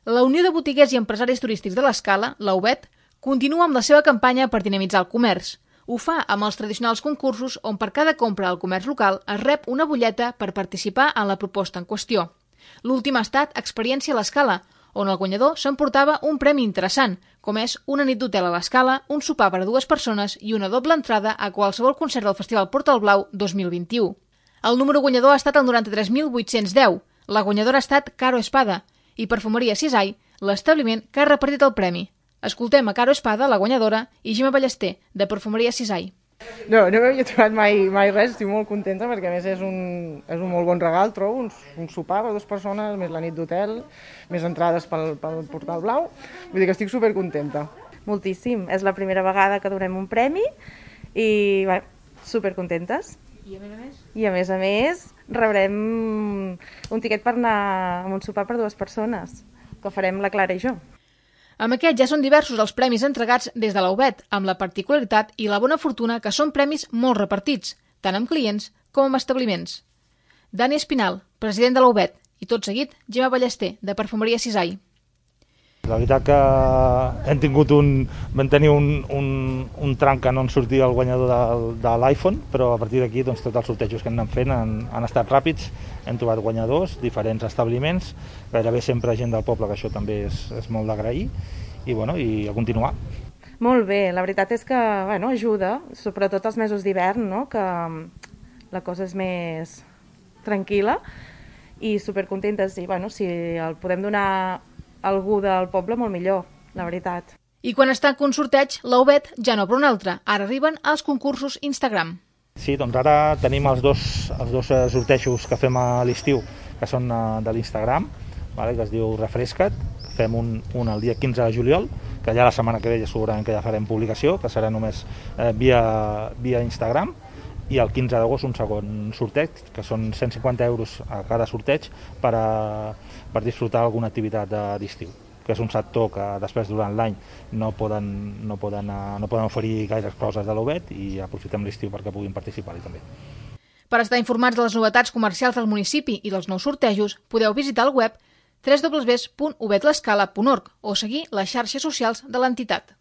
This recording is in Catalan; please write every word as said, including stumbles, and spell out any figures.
La Unió de Botiguers i Empresaris Turístics de l'Escala, la U B E T, continua amb la seva campanya per dinamitzar el comerç. Ho fa amb els tradicionals concursos on per cada compra al comerç local es rep una butlleta per participar en la proposta en qüestió. L'últim ha estat Experiència a l'Escala, on el guanyador s'emportava un premi interessant, com és una nit d'hotel a l'Escala, un sopar per a dues persones i una doble entrada a qualsevol concert del Festival Portal Blau dos mil vint-i-u. El número guanyador ha estat el noranta-tres mil vuit-cents deu. La guanyadora ha estat Caro Espada i Perfumeria Cisai, l'establiment que ha repartit el premi. Escoltem a Caro Espada, la guanyadora, i Gemma Ballester, de Perfumeria Cisai. No, no m'havia trobat mai, mai res, estic molt contenta perquè a més és un, és un molt bon regal, trobo, un, un sopar per dues persones, més la nit d'hotel, més entrades pel, pel Portal Blau, vull dir que estic supercontenta. Moltíssim, és la primera vegada que donem un premi i bé, supercontentes. I a més a més? I a més a més rebrem un tiquet per anar a un sopar per dues persones, que farem la Clara i jo. Amb aquest ja són diversos els premis entregats des de la U B E T, amb la particularitat i la bona fortuna que són premis molt repartits, tant amb clients com amb establiments. Dani Espinal, president de la U B E T, i tot seguit Gemma Ballester, de Perfumeria Cisai. La veritat que hem tingut un, vam tenir un, un, un tram que no en sortia el guanyador de, de l'iPhone, però a partir d'aquí doncs, tots els sortejos que hem anat fent han, han estat ràpids, hem trobat guanyadors, diferents establiments, gairebé sempre gent del poble, que això també és, és molt d'agrair, i, bueno, i a continuar. Molt bé, la veritat és que bueno, ajuda, sobretot els mesos d'hivern, no? Que la cosa és més tranquil·la i supercontentes, i bueno, si el podem donar algú del poble, molt millor, la veritat. I quan està en un sorteig, la U B E T ja no per un altre. Ara arriben els concursos Instagram. Sí, doncs ara tenim els dos, els dos sortejos que fem a l'estiu, que són de l'Instagram, vale, que es diu Refresca't. Fem un, un el dia quinze de juliol, que ja la setmana que ve ja segurament que ja farem publicació, que serà només eh, via, via Instagram, i el quinze d'agost un segon sorteig, que són cent cinquanta euros a cada sorteig per, a, per disfrutar alguna activitat d'estiu, que és un sector que després durant l'any no poden, no, poden, no poden oferir gaires coses de l'U B E T i aprofitem l'estiu perquè puguin participar-hi també. Per estar informats de les novetats comercials del municipi i dels nous sortejos, podeu visitar el web w w w punt u b e t l'escala punt org o seguir les xarxes socials de l'entitat.